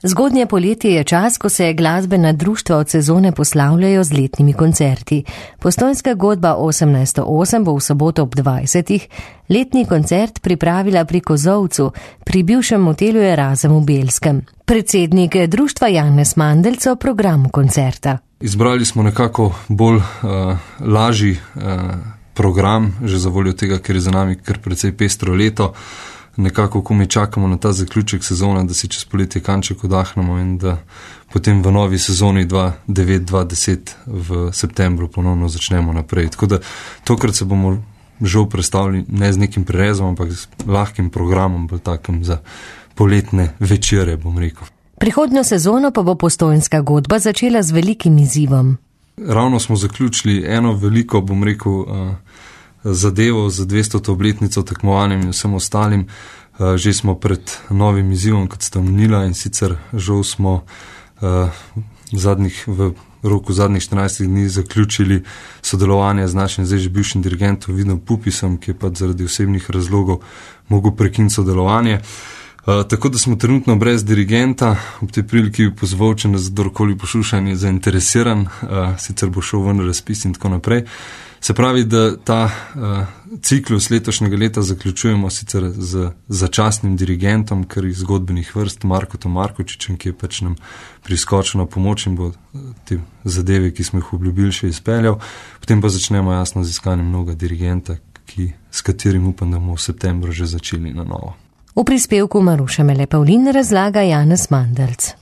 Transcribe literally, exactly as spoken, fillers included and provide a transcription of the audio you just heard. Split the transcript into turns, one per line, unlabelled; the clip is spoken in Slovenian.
Zgodnje poletje je čas, ko se glasbena društva od sezone poslavljajo z letnimi koncerti. Postojnska godba osemnajststo osem bo v soboto ob dvajsetih letni koncert pripravila pri Kozolcu, pri bivšem motelu Erazem v Belskem. Predsednik društva Janez Mandelc o programu koncerta.
Izbrali smo nekako bolj uh, lažji uh, program, že za voljo tega, ker je za nami kar precej pestro leto. Nekako, ko mi čakamo na ta zaključek sezone, da si čez poletje kanček odahnemo in da potem v novi sezoni dva devet dva deset v septembru ponovno začnemo naprej. Tako da tokrat se bomo žal predstavili ne z nekim prerezom, ampak z lahkim programom, bolj takim za poletne večere, bom rekel.
Prihodnjo sezono pa bo Postojnska godba začela z velikim izzivom.
Ravno smo zaključili eno veliko, bom rekel, uh, zadevo za dvestoto obletnico tekmovanjem in vsem ostalim. Že smo pred novim izzivom, kot ste omenila, in sicer žal smo zadnjih, v roku zadnjih štirinajstih dni zaključili sodelovanje z našim zdaj že bivšim dirigentom Vidom Pupisom, ki je pa zaradi osebnih razlogov mogel prekiniti sodelovanje. Uh, tako da smo trenutno brez dirigenta. Ob tej priliki bi pozval, če nas kdorkoli posluša in je zainteresiran, uh, sicer bo šel ven razpis in tako naprej. Se pravi, da ta uh, ciklus letošnjega leta zaključujemo sicer z začasnim dirigentom, kar iz zgodbenih vrst, Markotom Markočičem, ki je pač nam priskočil na pomoč in bo te zadeve, ki smo jih obljubili, še izpeljal. Potem pa začnemo jasno z iskanjem novega dirigenta, ki, s katerim upam, da bomo v septembru že začeli na novo.
V prispevku Maruša Mele Pavlin razlaga Janez Mandelc.